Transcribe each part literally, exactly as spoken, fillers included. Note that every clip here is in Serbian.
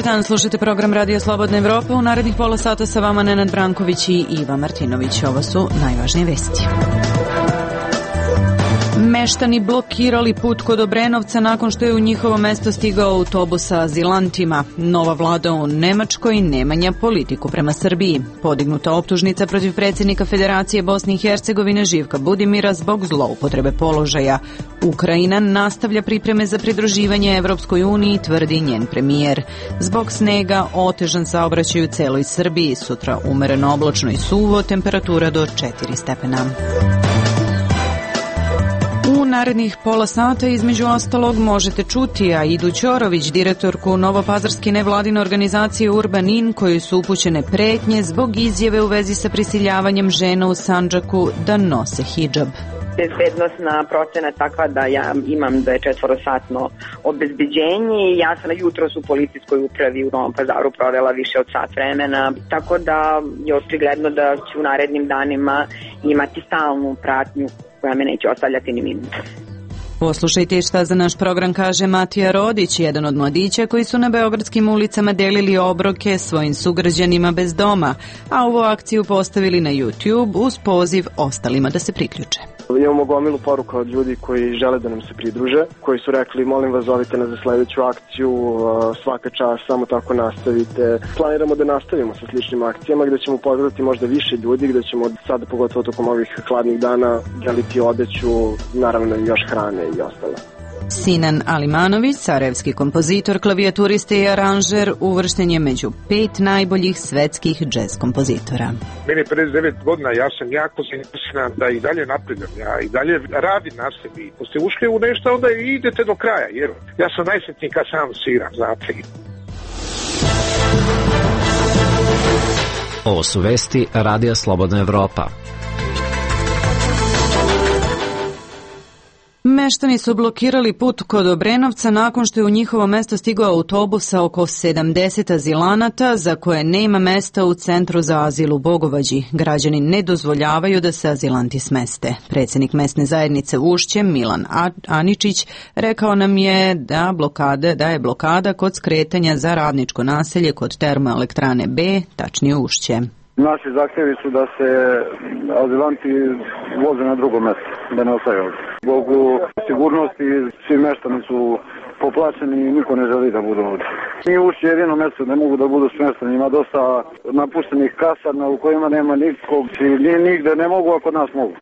dan, slušajte program Radio Slobodna Evropa. U narednih pola sata sa vama Nenad Branković i Iva Martinović. Ovo su najvažnije vesti. Meštani blokirali put kod Obrenovca nakon što je u njihovo mesto stigao autobus sa azilantima. Nova vlada u Nemačkoj ne menja politiku prema Srbiji. Podignuta optužnica protiv predsjednika Federacije Bosne i Hercegovine Živka Budimira zbog zloupotrebe položaja. Ukrajina nastavlja pripreme za pridruživanje Evropskoj uniji, tvrdi njen premijer. Zbog snega otežan saobraćaj u celoj Srbiji. Sutra umereno oblačno i suvo, temperatura do četiri stepena. U narednih pola sata između ostalog možete čuti Aidu Ćorović, direktorku novopazarske nevladine organizacije Urbanin, kojoj su upućene pretnje zbog izjave u vezi sa prisiljavanjem žena u Sandžaku da nose hidžab. Bezbednostna procena je takva da ja imam da je četvorosatno obezbeđenje i ja sam jutros u policijskoj upravi u Novom Pazaru provela više od sat vremena, tako da je očigledno da ću u narednim danima imati stalnu pratnju koja me neće ostavljati ni minuta. Poslušajte šta za naš program kaže Matija Rodić, jedan od mladića koji su na beogradskim ulicama delili obroke svojim sugrađanima bez doma, a ovu akciju postavili na YouTube uz poziv ostalima da se priključe. Imamo gomilu poruka od ljudi koji žele da nam se pridruže, koji su rekli molim vas zovite nas za sledeću akciju, svaka čast, samo tako nastavite. Planiramo da nastavimo sa sličnim akcijama gde ćemo pozdraviti možda više ljudi, gde ćemo sada pogotovo tokom ovih hladnih dana deliti odeću, naravno i još hrane i ostalo. Sinan Alimanović, sarajevski kompozitor, klavijaturista i aranžer, uvršten je među pet najboljih svetskih džez kompozitora. Meni je pedeset devet godina, ja sam jako zainteresiran da i dalje napredam, ja i dalje radim na sebi. Ako ste ušli u nešto, onda idete do kraja, jer ja sam najsretniji kad sam sviram, znate. Ovo su vesti Radija Slobodna Evropa. Meštani su blokirali put kod Obrenovca nakon što je u njihovo mesto stigao autobus sa oko sedamdeset azilanata za koje nema mesta u Centru za azil u Bogovađi. Građani ne dozvoljavaju da se azilanti smeste. Predsjednik mesne zajednice Ušće, Milan Aničić, rekao nam je da, blokade, da je blokada kod skretanja za radničko naselje kod termoelektrane B, tačnije Ušće. Naši zahtjevi su da se azilanti voze na drugo mjesto, da ne ostaju ovdje. Zbog sigurnosti svi meštani su poplaćeni i niko ne želi da budu ovdje. Mi uši jedino mjesto ne mogu da budu smješteni, ima dosta napuštenih kasarna u kojima nema nikog i nigde ne mogu, ako nas mogu.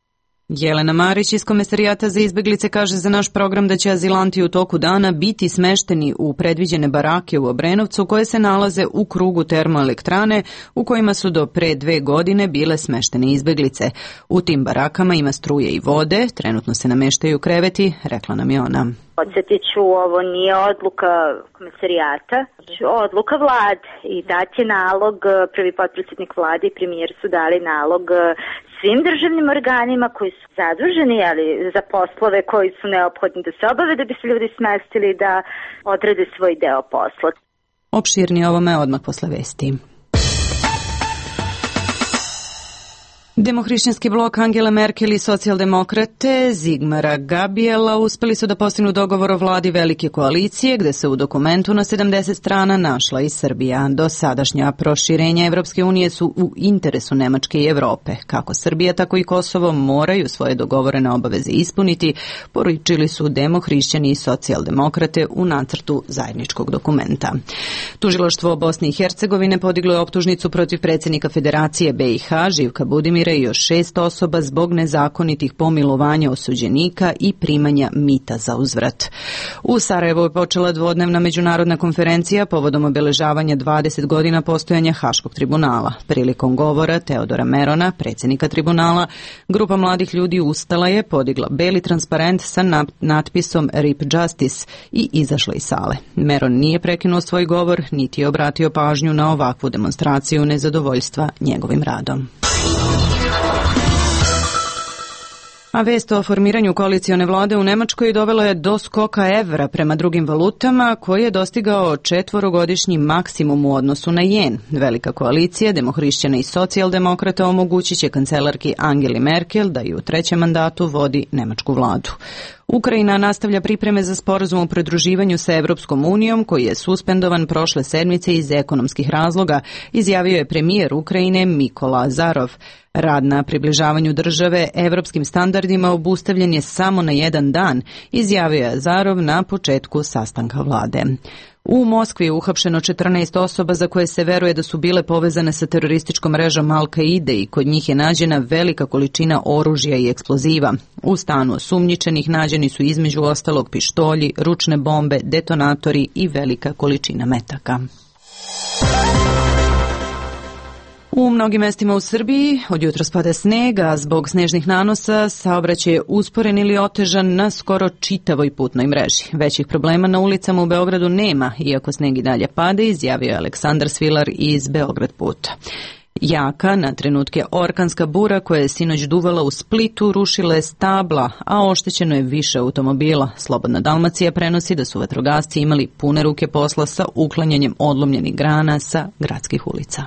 Jelena Marić iz Komesarijata za izbeglice kaže za naš program da će azilanti u toku dana biti smešteni u predviđene barake u Obrenovcu koje se nalaze u krugu termoelektrane u kojima su do pre dve godine bile smeštene izbeglice. U tim barakama ima struje i vode, trenutno se nameštaju kreveti, rekla nam je ona. Podsjetit ću, ovo nije odluka Komesarijata, odluka vlade i dat je nalog, prvi potpredsjednik vlade i premijer su dali nalog svim državnim organima koji su zaduženi ali, za poslove koji su neophodni da se obave da bi se ljudi smestili da odrade svoj deo posla. Opširnije ovome odmah posle vesti. Demohrišćanski blok Angele Merkel i socijaldemokrate Zigmara Gabriela uspeli su da postignu dogovor o vladi velike koalicije, gde se u dokumentu na sedamdeset strana našla i Srbija. Do sadašnja proširenja Evropske unije su u interesu Nemačke i Evrope. Kako Srbija, tako i Kosovo moraju svoje dogovorene obaveze ispuniti, poručili su demohrišćani i socijaldemokrate u nacrtu zajedničkog dokumenta. Tužilaštvo Bosne i Hercegovine podiglo je optužnicu protiv predsjednika Federacije B i H Živka Budimira i još šest osoba zbog nezakonitih pomilovanja osuđenika i primanja mita za uzvrat. U Sarajevu je počela dvodnevna međunarodna konferencija povodom obeležavanja dvadeset godina postojanja Haškog tribunala. Prilikom govora Teodora Merona, predsjednika tribunala, grupa mladih ljudi ustala je, podigla beli transparent sa natpisom R I P Justice i izašla iz sale. Meron nije prekinuo svoj govor, niti je obratio pažnju na ovakvu demonstraciju nezadovoljstva njegovim radom. A vest o formiranju koalicione vlade u Nemačkoj dovela je do skoka evra prema drugim valutama, koji je dostigao četvorogodišnji maksimum u odnosu na jen. Velika koalicija demohrišćana i socijaldemokrata omogućit će kancelarki Angeli Merkel da i u trećem mandatu vodi nemačku vladu. Ukrajina nastavlja pripreme za sporazum o pridruživanju sa Evropskom unijom, koji je suspendovan prošle sedmice iz ekonomskih razloga, izjavio je premijer Ukrajine Mikola Azarov. Rad na približavanju države evropskim standardima obustavljen je samo na jedan dan, izjavio je Azarov na početku sastanka vlade. U Moskvi je uhapšeno četrnaest osoba za koje se veruje da su bile povezane sa terorističkom mrežom Al-Kaide i kod njih je nađena velika količina oružja i eksploziva. U stanu osumnjičenih nađeni su između ostalog pištolji, ručne bombe, detonatori i velika količina metaka. U mnogim mestima u Srbiji od jutros pada sneg, a zbog snežnih nanosa saobraćaj je usporen ili otežan na skoro čitavoj putnoj mreži. Većih problema na ulicama u Beogradu nema, iako sneg i dalje pada, izjavio je Aleksandar Svilar iz Beograd puta. Jaka, na trenutke orkanska bura koja je sinoć duvala u Splitu rušila je stabla, a oštećeno je više automobila. Slobodna Dalmacija prenosi da su vatrogasci imali pune ruke posla sa uklanjanjem odlomljenih grana sa gradskih ulica.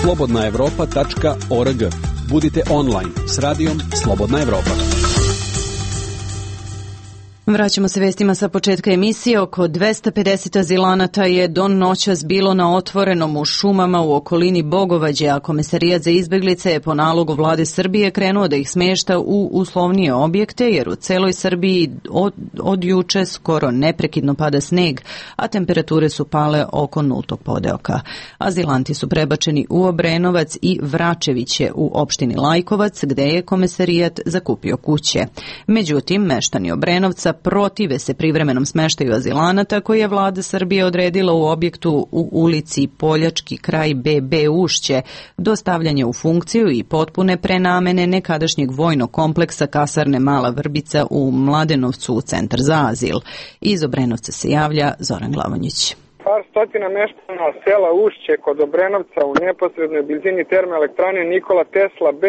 slobodna evropa tačka org. Budite online s radijom Slobodna Evropa. Vraćamo se vestima sa početka emisije. Oko dvesta pedeset azilanata je do noćas bilo na otvorenom u šumama u okolini Bogovađe, a Komesarijat za izbeglice je po nalogu vlade Srbije krenuo da ih smešta u uslovnije objekte, jer u celoj Srbiji od, od juče skoro neprekidno pada sneg, a temperature su pale oko nultog podeoka. Azilanti su prebačeni u Obrenovac i Vračeviće u opštini Lajkovac, gde je Komesarijat zakupio kuće. Međutim, meštani Obrenovca protive se privremenom smeštaju azilanata koji je vlada Srbije odredila u objektu u ulici Poljački kraj B B Ušće do stavljanja u funkciju i potpune prenamene nekadašnjeg vojnog kompleksa kasarne Mala Vrbica u Mladenovcu u centar za azil. Iz Obrenovca se javlja Zoran Glavonjić. Par stotina meštana sela Ušće kod Obrenovca u neposrednoj blizini termoelektrane Nikola Tesla B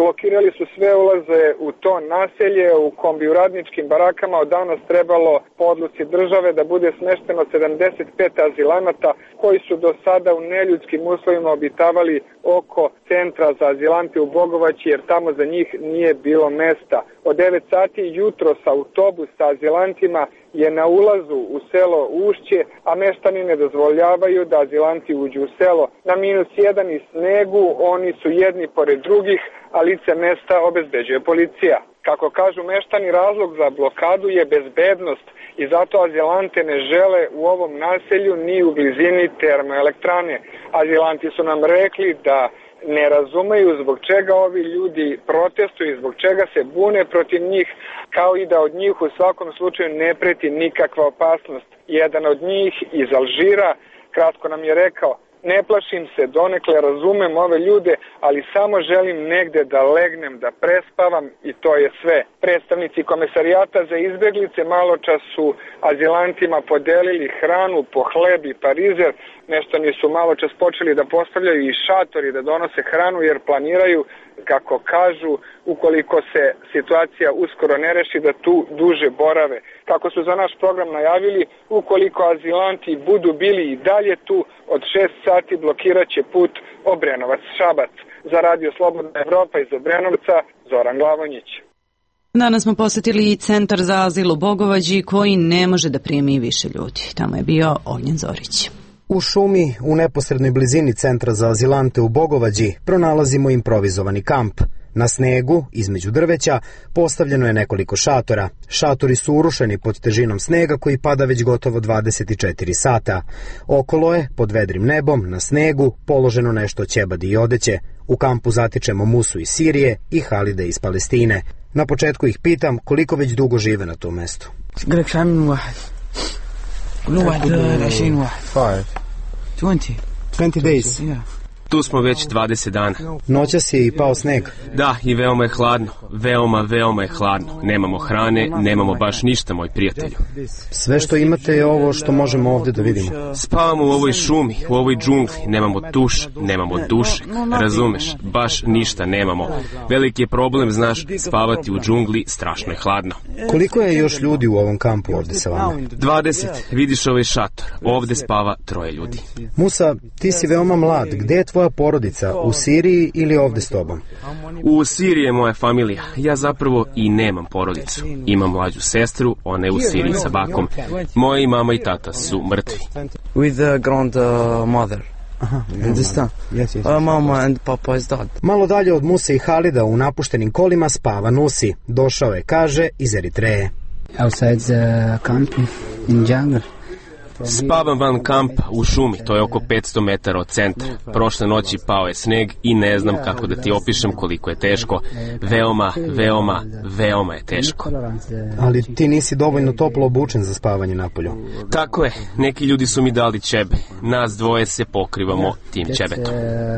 blokirali su sve ulaze u to naselje. U kombi u radničkim barakama od danas trebalo po odluci države da bude smešteno sedamdeset pet azilanata koji su do sada u neljudskim uslovima obitavali oko centra za azilante u Bogovaći, jer tamo za njih nije bilo mesta. Od devet sati jutros autobus sa azilantima je na ulazu u selo Ušće, a meštani ne dozvoljavaju da azilanti uđu u selo. Na minus jedan i snegu oni su jedni pored drugih, a lice mesta obezbeđuje policija. Kako kažu meštani, razlog za blokadu je bezbednost i zato azilante ne žele u ovom naselju ni u blizini termoelektrane. Azilanti su nam rekli da ne razumeju zbog čega ovi ljudi protestuju i zbog čega se bune protiv njih, kao i da od njih u svakom slučaju ne preti nikakva opasnost. Jedan od njih iz Alžira kratko nam je rekao: ne plašim se, donekle razumem ove ljude, ali samo želim negde da legnem, da prespavam i to je sve. Predstavnici Komesarijata za izbeglice malo čas su azilantima podelili hranu po hleb i parizer. Meštani su malo čas počeli da postavljaju i šatori da donose hranu, jer planiraju, kako kažu, ukoliko se situacija uskoro ne reši, da tu duže borave. Kako su za naš program najavili, ukoliko azilanti budu bili i dalje tu, od šest sati blokirat će put Obrenovac-Šabac. Za Radio Slobodna Evropa iz Obrenovca, Zoran Glavonjić. Danas smo posetili i centar za azil u Bogovađi koji ne može da primi više ljudi. Tamo je bio Ognjen Zorić. U šumi, u neposrednoj blizini centra za azilante u Bogovađi, pronalazimo improvizovani kamp. Na snegu, između drveća, postavljeno je nekoliko šatora. Šatori su urušeni pod težinom snega koji pada već gotovo dvadeset četiri sata. Okolo je, pod vedrim nebom, na snegu, položeno nešto ćebadi i odeće. U kampu zatičemo Musu iz Sirije i Halide iz Palestine. Na početku ih pitam koliko već dugo žive na tom mestu. twenty days. Tu smo već dvadeset dana. Noćas je i pao sneg. Da, i veoma je hladno. Veoma, veoma je hladno. Nemamo hrane, nemamo baš ništa, moj prijatelju. Sve što imate je ovo što možemo ovdje da vidimo. Spavamo u ovoj šumi, u ovoj džungli. Nemamo tuš, nemamo dušek. Razumeš, baš ništa nemamo. Veliki je problem, znaš, spavati u džungli, strašno je hladno. Koliko je još ljudi u ovom kampu ovdje sa vama? dvadeset. Vidiš ovaj šator. Ovdje spava troje ljudi. Musa, ti si veoma mlad. Gde je tvoja tvoja porodica u Siriji ili ovde s tobom? U Siriji je moja familija. Ja zapravo i nemam porodicu. Imam mlađu sestru, ona je u Siriji sa bakom. Moji mama i tata su mrtvi. With a grandmother. Aha, understand? Yes, yes. Uh, mama and papa is dead. Malo dalje od Muse i Halida u napuštenim kolima spava Nusi. Došao je, kaže, iz Eritreje. Outside the camp in jungle. Spavam van kampa u šumi, to je oko petsto metara od centra. Prošle noći pao je sneg i ne znam kako da ti opišem koliko je teško. Veoma, veoma, veoma je teško. Ali ti nisi dovoljno toplo obučen za spavanje napolju. Tako je, neki ljudi su mi dali ćebe. Nas dvoje se pokrivamo tim ćebetom.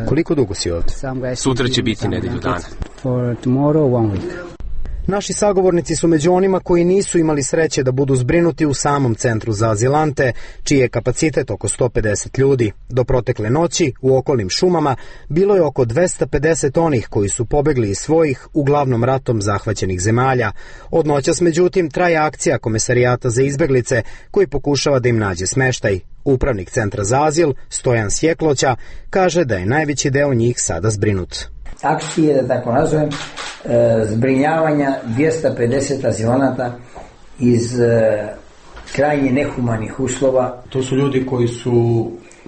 Koliko dugo si ovdje? Sutra će biti nedelju dana. For tomorrow, one week. Naši sagovornici su među onima koji nisu imali sreće da budu zbrinuti u samom centru za azilante, čiji je kapacitet oko sto pedeset ljudi. Do protekle noći, u okolnim šumama, bilo je oko dvesta pedeset onih koji su pobegli iz svojih, uglavnom ratom zahvaćenih zemalja. Od noćas, međutim, traje akcija Komesarijata za izbeglice, koji pokušava da im nađe smeštaj. Upravnik centra za azil, Stojan Sjekloća, kaže da je najveći deo njih sada zbrinut. Akcije, da tako nazovem, zbrinjavanja dvjesto pedeset azilanata iz krajnje nehumanih uslova. To su ljudi koji su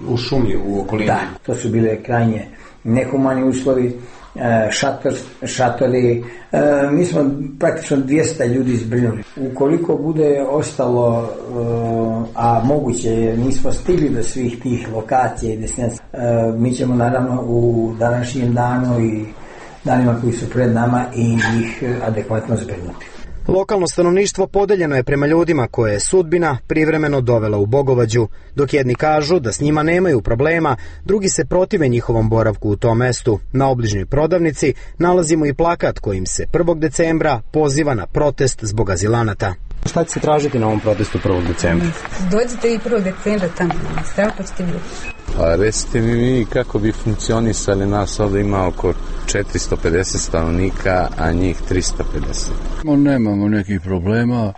u šumi u okolini? Da, to su bile krajnje nehumani uslovi, šator, šatori. Mi smo praktično dvjesto ljudi zbrinuli. Ukoliko bude ostalo, a moguće jer nismo stigli do svih tih lokacija i destinacija, mi ćemo naravno u današnjem danu i danima koji su pred nama i ih adekvatno zbrinuti. Lokalno stanovništvo podeljeno je prema ljudima koje je sudbina privremeno dovela u Bogovađu. Dok jedni kažu da s njima nemaju problema, drugi se protive njihovom boravku u tom mestu. Na obližnjoj prodavnici nalazimo i plakat kojim se prvog decembra poziva na protest zbog azilanata. Šta će se tražiti na ovom protestu prvog decembra? Dođite i prvog decembra tamo, strah pa ćete vidjeti. Pa recite mi vi kako bi funkcionisali, nas ovdje ima oko četiristo pedeset stanovnika, a njih tristo pedeset. Nemamo nekih problema,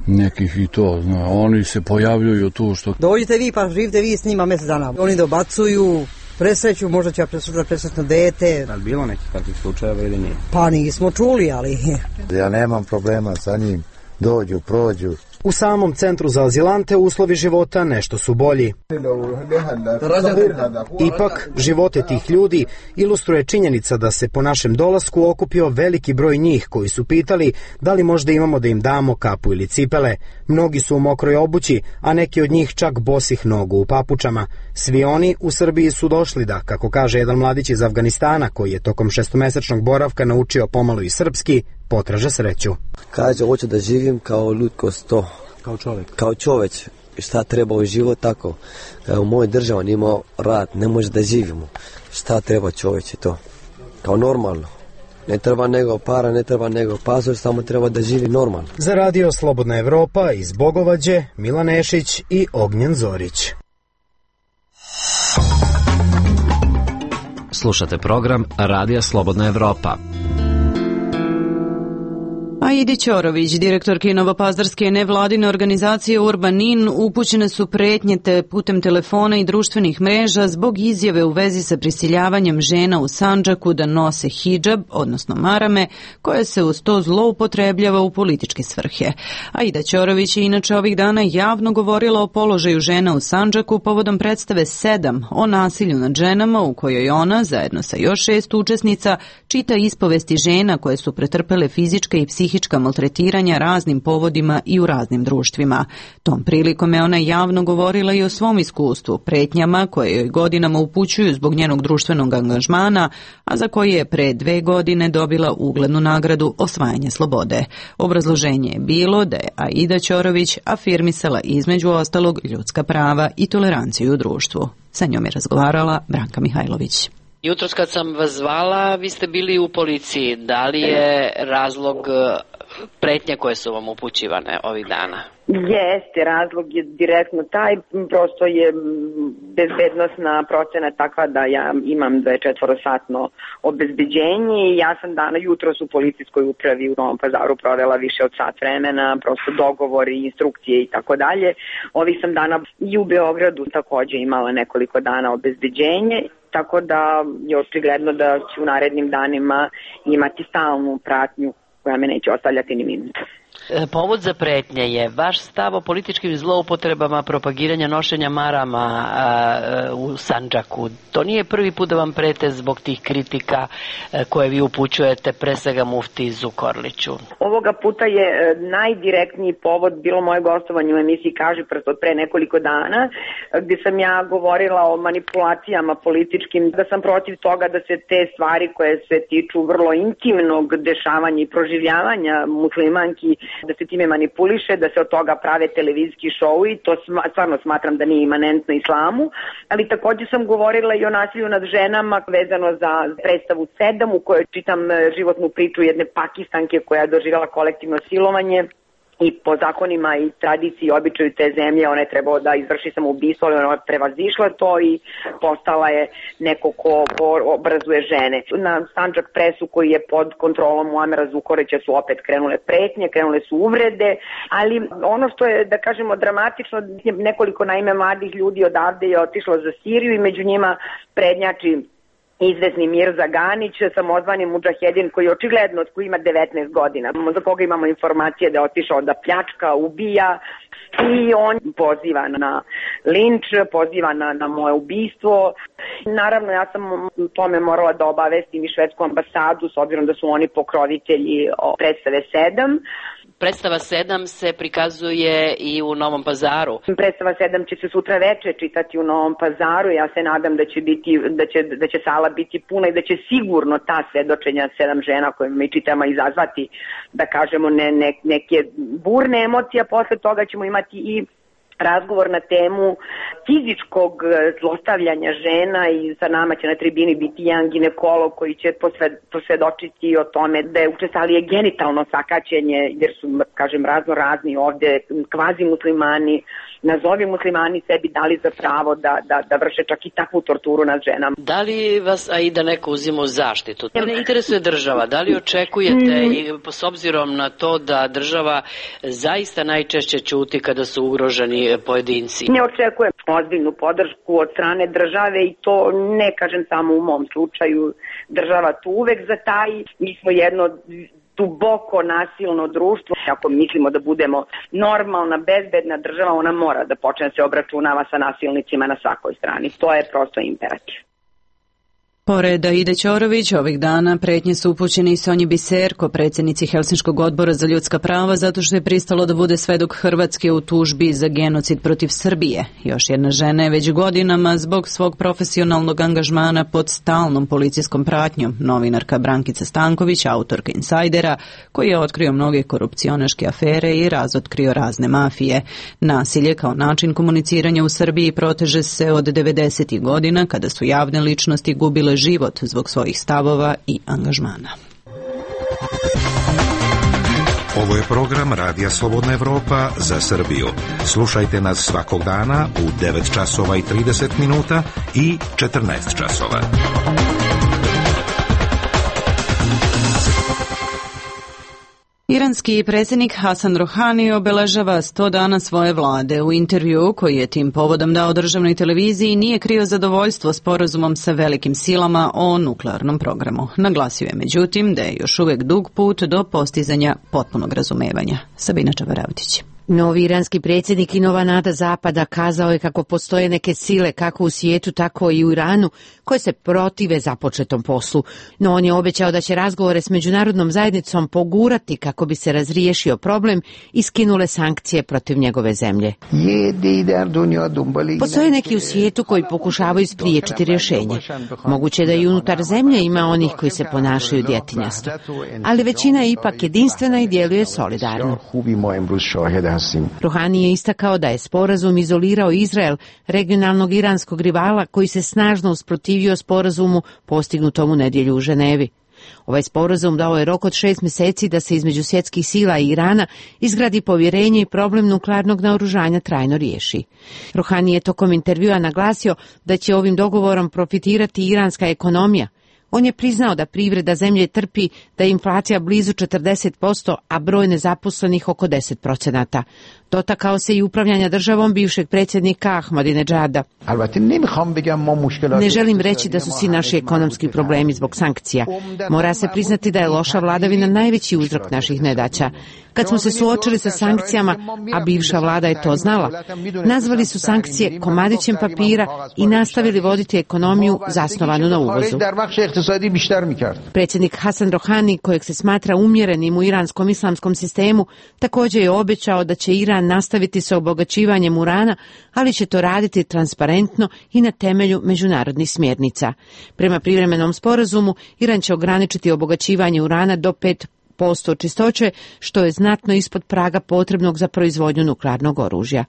nekih i to, zna, oni se pojavljuju tu što... Dođite vi pa živite vi s njima mjesec dana. Oni dobacuju, presreću, možda će ja presretno dete. Ali bilo nekih takvih slučajeva ili nije? Pa nismo čuli, ali... Ja nemam problema sa njim, dođu, prođu. U samom centru za azilante uslovi života nešto su bolji. Ipak, živote tih ljudi ilustruje činjenica da se po našem dolasku okupio veliki broj njih koji su pitali da li možda imamo da im damo kapu ili cipele. Mnogi su u mokroj obući, a neki od njih čak bosih nogu u papučama. Svi oni u Srbiji su došli da, kako kaže jedan mladić iz Afganistana koji je tokom šestomesečnog boravka naučio pomalo i srpski, potraže sreću. Kaže, hoću da živim kao ljudskost to. Kao čovjek? Kao čovjek. Šta treba u život tako. U mojoj državi nimao rad, ne može da živimo. Šta treba čovječe to. Kao normalno. Ne treba nego para, ne treba nego pasoš, samo treba da živi normalno. Za radio Slobodna Evropa iz Bogovađe, Milan Nešić i Ognjen Zorić. Slušate program Radija Slobodna Evropa. Aidi Ćorović, direktorki novopazarske nevladine organizacije Urbanin, upućene su pretnje te putem telefona i društvenih mreža zbog izjave u vezi sa prisiljavanjem žena u Sandžaku da nose hidžab, odnosno marame, koje se uz to zloupotrebljava u političke svrhe. Aida Ćorović je inače ovih dana javno govorila o položaju žena u Sandžaku povodom predstave sedam o nasilju nad ženama, u kojoj ona, zajedno sa još šest učesnica, čita ispovesti žena koje su pretrpele fizičke i psihičke maltretiranja raznim povodima i u raznim društvima. Tom prilikom je ona javno govorila i o svom iskustvu, pretnjama koje joj godinama upućuju zbog njenog društvenog angažmana, a za koje je pre dve godine dobila uglednu nagradu Osvajanje slobode. Obrazloženje je bilo da je Aida Ćorović afirmisala između ostalog ljudska prava i toleranciju u društvu. Sa njom je razgovarala Branka Mihajlović. Jutros kad sam vas zvala, vi ste bili u policiji. Da li je razlog pretnje koje su vam upućivane ovih dana? Jeste, razlog je direktno taj, prosto je bezbednostna procena takva da ja imam dvadesetočetvorosatno obezbeđenje i ja sam dana jutros u policijskoj upravi u Novom Pazaru provela više od sat vremena, prosto dogovori, instrukcije i tako dalje. Ovih sam dana i u Beogradu takođe imala nekoliko dana obezbeđenje tako da je očigledno da ću u narednim danima imati stalnu pratnju koja me neće ostavljati ni minuta. Povod za pretnje je vaš stav o političkim zloupotrebama propagiranja nošenja marama a, u Sandžaku. To nije prvi put da vam prete zbog tih kritika a, koje vi upućujete pre svega mufti Zukorliću. Ovoga puta je najdirektniji povod bilo moje gostovanje u emisiji Kaži prst od pre nekoliko dana, gdje sam ja govorila o manipulacijama političkim, da sam protiv toga da se te stvari koje se tiču vrlo intimnog dešavanja i proživljavanja muslimanki, da se time manipuliše, da se od toga prave televizijski šou i to stvarno smatram da nije imanentno islamu, ali također sam govorila i o nasilju nad ženama vezano za predstavu Sedam u kojoj čitam životnu priču jedne Pakistanke koja je doživjela kolektivno silovanje i po zakonima i tradiciji i običaju te zemlje ona je trebao da izvrši samoubistvo, ali ona je prevazišla to i postala je neko ko, ko obrazuje žene. Na Sandžak presu koji je pod kontrolom Muamera Zukorlića su opet krenule pretnje, krenule su uvrede, ali ono što je, da kažemo, dramatično, nekoliko naime mladih ljudi odavde je otišlo za Siriju i među njima prednjači izvesni Mirza Ganić, samozvani mudžahedin koji očigledno koji ima devetnaest godina, za koga imamo informacije da je otišao da pljačka, ubija i on poziva na linč, poziva na, na moje ubistvo. Naravno, ja sam u tome morala da obavestim i švedsku ambasadu s obzirom da su oni pokrovitelji predstave Sedam. Predstava Sedam se prikazuje i u Novom Pazaru. Predstava Sedam će se sutra veče čitati u Novom Pazaru. Ja se nadam da će, biti, da će, da će sala biti puna i da će sigurno ta svedočenja sedam žena koje mi čitamo izazvati, da kažemo, ne, ne, neke burne emocije. Posle toga ćemo imati i razgovor na temu fizičkog zlostavljanja žena i sa nama će na tribini biti jedan ginekolog koji će posvedočiti o tome da je učestalije genitalno sakaćenje, jer su, kažem, razno razni ovde kvazi muslimani, nazovi muslimani sebi dali za pravo da, da, da vrše čak i takvu torturu nad ženama. Da li vas, a i da neko uzima u zaštitu? To ne interesuje država. Da li očekujete, i s obzirom na to da država zaista najčešće ćuti kada su ugroženi pojedinci? Ne očekujem ozbiljnu podršku od strane države i to ne kažem samo u mom slučaju. Država tu uvek zataji. Mi smo jedno duboko nasilno društvo. Ako mislimo da budemo normalna, bezbedna država, ona mora da počne da se obračunava sa nasilnicima na svakoj strani. To je prosto imperativ. Pored Aide Ćorović, ovih dana pretnje su upućene i Sonji Biserko, predsjednici Helsinškog odbora za ljudska prava, zato što je pristalo da bude svedok Hrvatske u tužbi za genocid protiv Srbije. Još jedna žena je već godinama zbog svog profesionalnog angažmana pod stalnom policijskom pratnjom, novinarka Brankica Stanković, autorka Insajdera, koji je otkrio mnoge korupcionaške afere i razotkrio razne mafije. Nasilje kao način komuniciranja u Srbiji proteže se od devedesetih godina, kada su javne ličnosti gubile život zbog svojih stavova i angažmana. Ovo je program Radija Slobodna Evropa za Srbiju. Slušajte nas svakog dana u devet časova i trideset minuta i četrnaest časova. Iranski predsjednik Hasan Rohani obeležava sto dana svoje vlade. U intervju koji je tim povodom dao državnoj televiziji nije krio zadovoljstvo sporazumom sa velikim silama o nuklearnom programu. Naglasio je međutim da je još uvijek dug put do postizanja potpunog razumevanja. Sabina Čavaravtić. Novi iranski predsjednik i nova nada Zapada kazao je kako postoje neke sile kako u svijetu tako i u Iranu koje se protive započetom poslu, no on je obećao da će razgovore s međunarodnom zajednicom pogurati kako bi se razriješio problem i skinule sankcije protiv njegove zemlje. Postoje neki u svijetu koji pokušavaju spriječiti rješenje. Moguće da i unutar zemlje ima onih koji se ponašaju djetinjasto, ali većina je ipak jedinstvena i djeluje solidarno. Rohani je istakao da je sporazum izolirao Izrael, regionalnog iranskog rivala koji se snažno usprotivio sporazumu postignutom u nedjelju u Ženevi. Ovaj sporazum dao je rok od šest mjeseci da se između svjetskih sila i Irana izgradi povjerenje i problem nuklearnog naoružanja trajno riješi. Rohani je tokom intervjua naglasio da će ovim dogovorom profitirati iranska ekonomija. On je priznao da privreda zemlje trpi, da je inflacija blizu četrdeset posto, a broj nezaposlenih oko deset procenata. Dotakao se i upravljanja državom bivšeg predsjednika Ahmadinejada. Ne želim reći da su svi naši ekonomski problemi zbog sankcija. Mora se priznati da je loša vladavina najveći uzrok naših nedaća. Kad smo se suočili sa sankcijama, a bivša vlada je to znala, nazvali su sankcije komadićem papira i nastavili voditi ekonomiju zasnovanu na uvozu. Predsjednik Hasan Rohani, kojeg se smatra umjerenim u iranskom islamskom sistemu, također je obećao da će Iran nastaviti sa obogaćivanjem urana, ali će to raditi transparentno i na temelju međunarodnih smjernica. Prema privremenom sporazumu, Iran će ograničiti obogaćivanje urana do pet posto čistoće, što je znatno ispod praga potrebnog za proizvodnju nuklearnog oružja.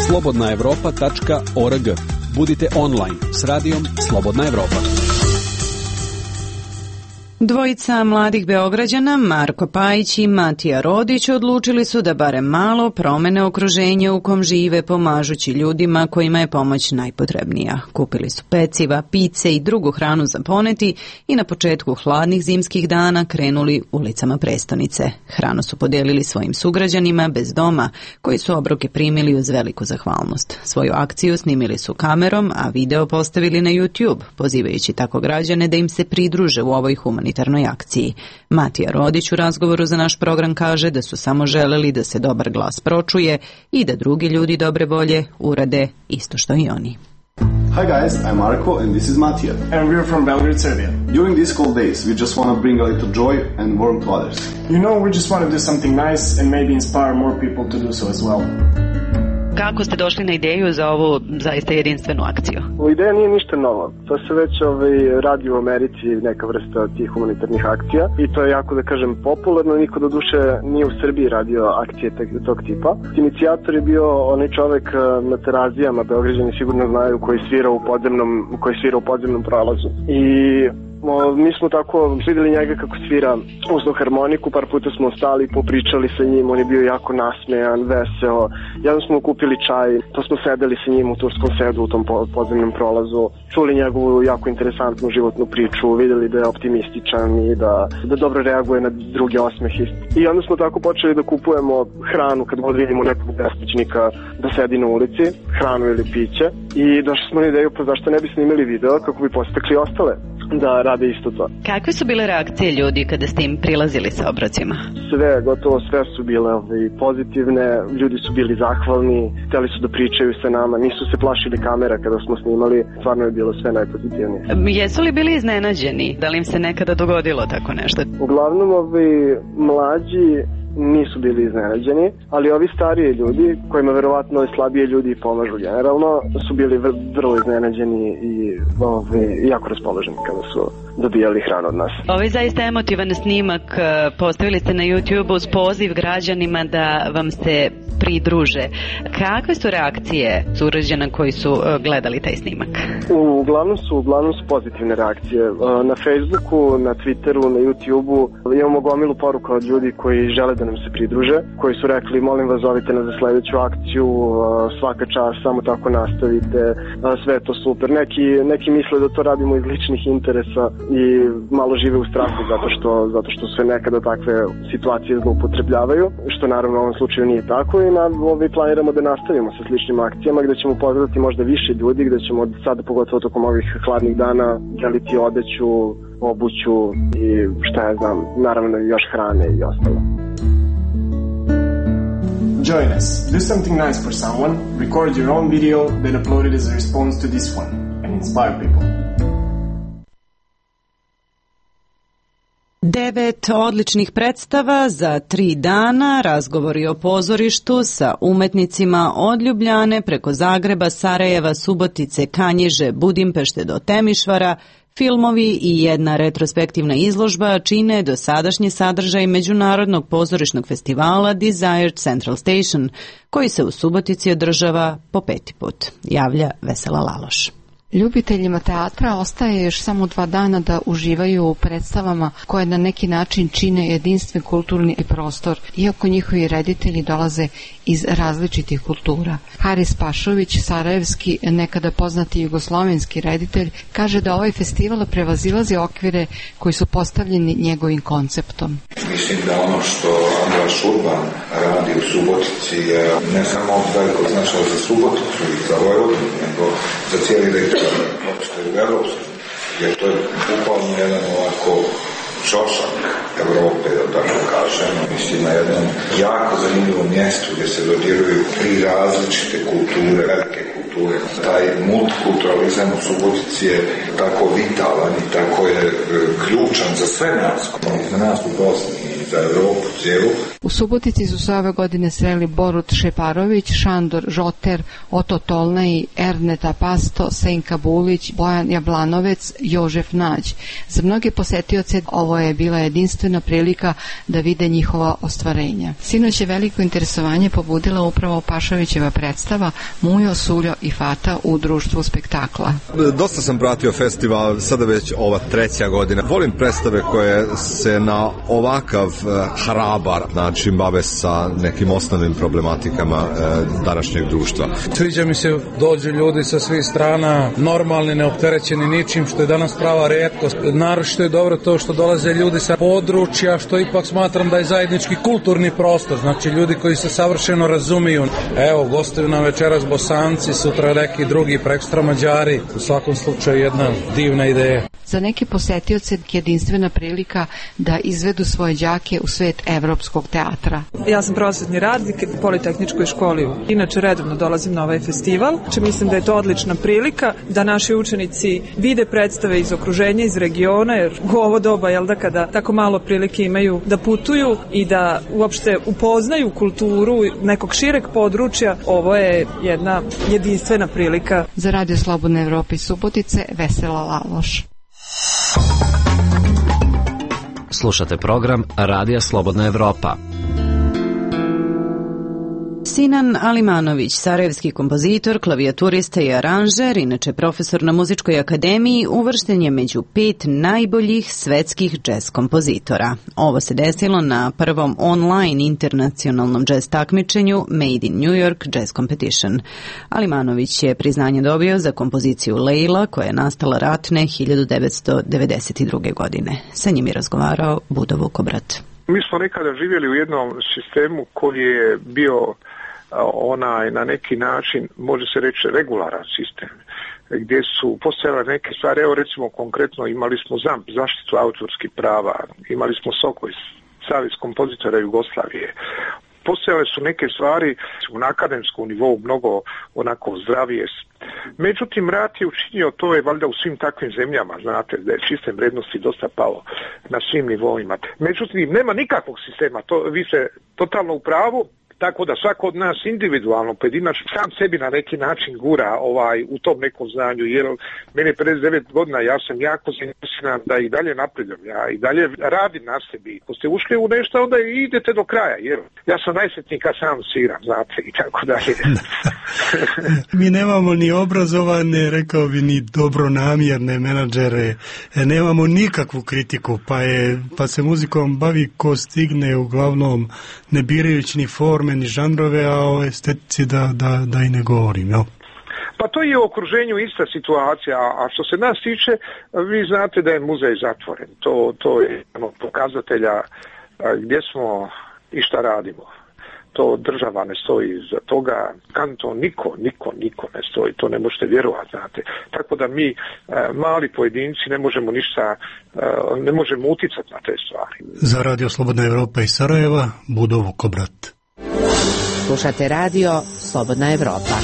slobodna evropa tačka org. Budite online s radijom Slobodna Evropa. Dvojica mladih Beograđana, Marko Pajić i Matija Rodić, odlučili su da barem malo promene okruženje u kom žive, pomažući ljudima kojima je pomoć najpotrebnija. Kupili su peciva, pice i drugu hranu za poneti i na početku hladnih zimskih dana krenuli ulicama prestonice. Hranu su podijelili svojim sugrađanima bez doma, koji su obroke primili uz veliku zahvalnost. Svoju akciju snimili su kamerom, a video postavili na YouTube, pozivajući tako građane da im se pridruže u ovoj humanitarnoj akciji. Matija Rodić u razgovoru za naš program kaže da su samo želeli da se dobar glas pročuje i da drugi ljudi dobre volje urade isto što i oni. Hi guys, I'm Marko and this is Matija. And we're from Belgrade, Serbia. During these cold days, we just want to bring a little joy and warmth to others. You know, we just want to do something nice and maybe inspire more people to do so as well. Kako ste došli na ideju za ovu zaista jedinstvenu akciju? Ideja nije ništa novo. To se već ovaj, radi u Americi, neka vrsta tih humanitarnih akcija i to je jako, da kažem, popularno. Niko do duše nije u Srbiji radio akcije tog tipa. Inicijator je bio onaj čovek na Terazijama, Beograđani sigurno znaju, koji svira u podzemnom, koji svira u podzemnom prolazu. I mi smo tako videli njega kako svira uzno harmoniku, par puta smo stali, popričali sa njim, on je bio jako nasmejan, veseo. Jednom smo kupili čaj, to smo sedeli sa njim u turskom sedu u tom podzemnom prolazu, čuli njegovu jako interesantnu životnu priču, videli da je optimističan i da, da dobro reaguje na druge osmehe. I onda smo tako počeli da kupujemo hranu kad god vidimo nekog beskućnika da sedi na ulici, hranu ili piće, i došli smo na ideju, pa zašto ne bi snimili video kako bi postakli ostale da rade isto to. Kakve su bile reakcije ljudi kada ste im prilazili sa obrocima? Sve, gotovo sve su bile pozitivne, ljudi su bili zahvalni, hteli su da pričaju sa nama, nisu se plašili kamera kada smo snimali, stvarno je bilo sve najpozitivnije. Jesu li bili iznenađeni? Da li im se nekada dogodilo tako nešto? Uglavnom ovi mlađi nisu bili iznenađeni, ali ovi stariji ljudi, kojima verovatno i slabije ljudi pomažu generalno, su bili vrlo iznenađeni i ovi, jako raspoloženi kada su dobijali hranu od nas. Ovaj zaista emotivan snimak postavili ste na YouTube uz poziv građanima da vam se pridruže. Kakve su reakcije sugrađana koji su gledali taj snimak? Uglavnom su, uglavnom su pozitivne reakcije. Na Facebooku, na Twitteru, na YouTubeu imamo gomilu poruka od ljudi koji žele da nam se pridruže, koji su rekli molim vas zovite nas za sledeću akciju, svaka čast, samo tako nastavite, sve je to super. Neki, neki misle da to radimo iz ličnih interesa i malo žive u strahu zato što, zato što se nekada takve situacije zloupotrebljavaju, što naravno u ovom slučaju nije tako, i na, ovaj, planiramo da nastavimo sa sličnim akcijama gde ćemo pozvati možda više ljudi, gde ćemo sada pogotovo tokom ovih hladnih dana deliti odeću, obuću i šta ja znam, naravno još hrane i ostalo. Join us. Do something nice for someone, record your own video, then upload it as a response to this one, and inspire people. Devet odličnih predstava za tri dana, razgovori o pozorištu sa umetnicima od Ljubljane preko Zagreba, Sarajeva, Subotice, Kanjiže, Budimpešte do Temišvara, filmovi i jedna retrospektivna izložba čine dosadašnji sadržaj Međunarodnog pozorišnog festivala Desired Central Station, koji se u Subotici održava po peti put, javlja Vesela Laloš. Ljubiteljima teatra ostaje još samo dva dana da uživaju u predstavama koje na neki način čine jedinstven kulturni prostor, iako njihovi reditelji dolaze iz različitih kultura. Haris Pašović, sarajevski, nekada poznati jugoslovenski reditelj, kaže da ovaj festival prevazilazi okvire koji su postavljeni njegovim konceptom. Mislim da ono što Andras Urban radi u Subotici je ne samo veliko značaj za Suboticu i za Vojvodinu, nego za cijeli region, uopšte u Evropsku, jer to je bukvalno jedan ovako čošak Evrope, da tako kažem. Mislim na jednom jako zanimljivom mjestu gdje se dodiruju tri različite kulture, velike kulture. Taj multikulturalizam u Subotici je tako vitalan i tako je ključan za sve nas, za nas u Bosni i za Evropu cijelu. U Subotici su se ove godine sreli Borut Šeparović, Šandor Žoter, Oto Tolnaj, Erneta Pasto, Senka Bulić, Bojan Jablanovec, Jožef Nađ. Za mnoge posetioce ovo je bila jedinstvena prilika da vide njihova ostvarenja. Sinoć je veliko interesovanje pobudila upravo Pašovićeva predstava Mujo, Suljo i Fata u društvu spektakla. Dosta sam pratio festival, sada već ova treća godina. Volim predstave koje se na ovakav hrabar način bave sa nekim osnovnim problematikama e, današnjeg društva. Sviđa mi se, dođu ljudi sa svih strana, normalni, neopterećeni ničim, što je danas prava retkost. Naročito je dobro to što dolaze ljudi sa područja, što ipak smatram da je zajednički kulturni prostor, znači ljudi koji se savršeno razumiju. Evo, gostuju nam večeras Bosanci, sutra neki drugi, prekstra Mađari. U svakom slučaju jedna divna ideja. Za neke posetioce jedinstvena prilika da izvedu svoje đake u svet evropskog teatra. Ja sam prosvetni radnik u Politehničkoj školi. Inače redovno dolazim na ovaj festival. Če mislim da je to odlična prilika da naši učenici vide predstave iz okruženja, iz regiona, jer u ovo doba, jel da, kada tako malo prilike imaju da putuju i da uopšte upoznaju kulturu nekog šireg područja, ovo je jedna jedinstvena prilika. Za Radio Slobodne Evrope iz Subotice, Vesela Laloš. Slušate program Radija Slobodna Evropa. Sinan Alimanović, sarajevski kompozitor, klavijaturista i aranžer, inače profesor na Muzičkoj akademiji, uvršten je među pet najboljih svetskih džez kompozitora. Ovo se desilo na prvom online internacionalnom džez takmičenju Made in New York Jazz Competition. Alimanović je priznanje dobio za kompoziciju Leila, koja je nastala ratne hiljadu devetsto devedeset druge. godine. Sa njim je razgovarao Budo Vukobrat. Mi smo nekada živjeli u jednom sistemu koji je bio onaj na neki način, može se reći, regularan sistem, gdje su postojale neke stvari. Evo recimo konkretno imali smo ZAMP, zaštitu autorskih prava, imali smo SOKOJ, Savez kompozitora Jugoslavije. Postojale su neke stvari na akademskom nivou mnogo onako zdravije. Međutim, rat je učinio, to je valjda u svim takvim zemljama, znate, da je sistem vrednosti dosta pao na svim nivoima. Međutim, nema nikakvog sistema, to, vi ste totalno u pravu. Tako da svako od nas individualno, pojedinačno, sam sebi na neki način gura ovaj, u tom nekom znanju, jer mene je pedeset devet godina, ja sam jako zainteresiran da i dalje napredujem, ja i dalje radim na sebi. Ako ste ušli u nešto, onda idete do kraja, jer ja sam najsretniji kad sam sviram, znate, i tako dalje. Mi nemamo ni obrazovane, rekao bi, ni dobronamjerne menadžere, nemamo nikakvu kritiku, pa, je, pa se muzikom bavi ko stigne, uglavnom ne birajući ni forme, ni žanrove, a o estetici da, da, da i ne govorim, jel? Pa to je u okruženju ista situacija, a što se nas tiče, vi znate da je muzej zatvoren. To, to je jedan od pokazatelja gdje smo i šta radimo. To država ne stoji za toga, kanton niko, niko, niko ne stoji, to ne možete vjerovati, znate. Tako da mi, mali pojedinci, ne možemo ništa, ne možemo uticati na te stvari. Za Radio Slobodna Evropa iz Sarajeva, Budo Vukobrat. Slušate Radio Slobodna Evropa.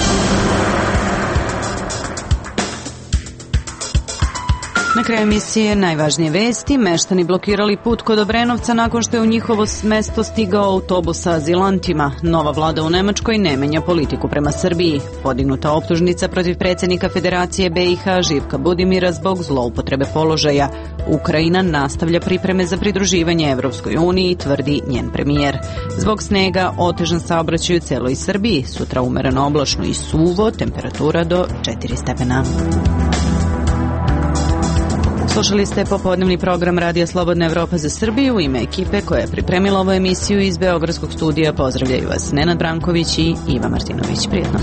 Na kraju emisije najvažnije vesti. Meštani blokirali put kod Obrenovca nakon što je u njihovo mesto stigao autobus sa azilantima. Nova vlada u Nemačkoj ne menja politiku prema Srbiji. Podignuta optužnica protiv predsjednika Federacije B i H Živka Budimira zbog zloupotrebe položaja. Ukrajina nastavlja pripreme za pridruživanje Evropskoj uniji, tvrdi njen premijer. Zbog snega otežan saobraćaj u celoj Srbiji. Sutra umereno oblačno i suvo, temperatura do četiri stepena. Slušali ste popodnevni program Radija Slobodna Evropa za Srbiju. U ime ekipe koja je pripremila ovu emisiju iz Beogradskog studija pozdravljaju vas Nenad Branković i Iva Martinović. Prijetno.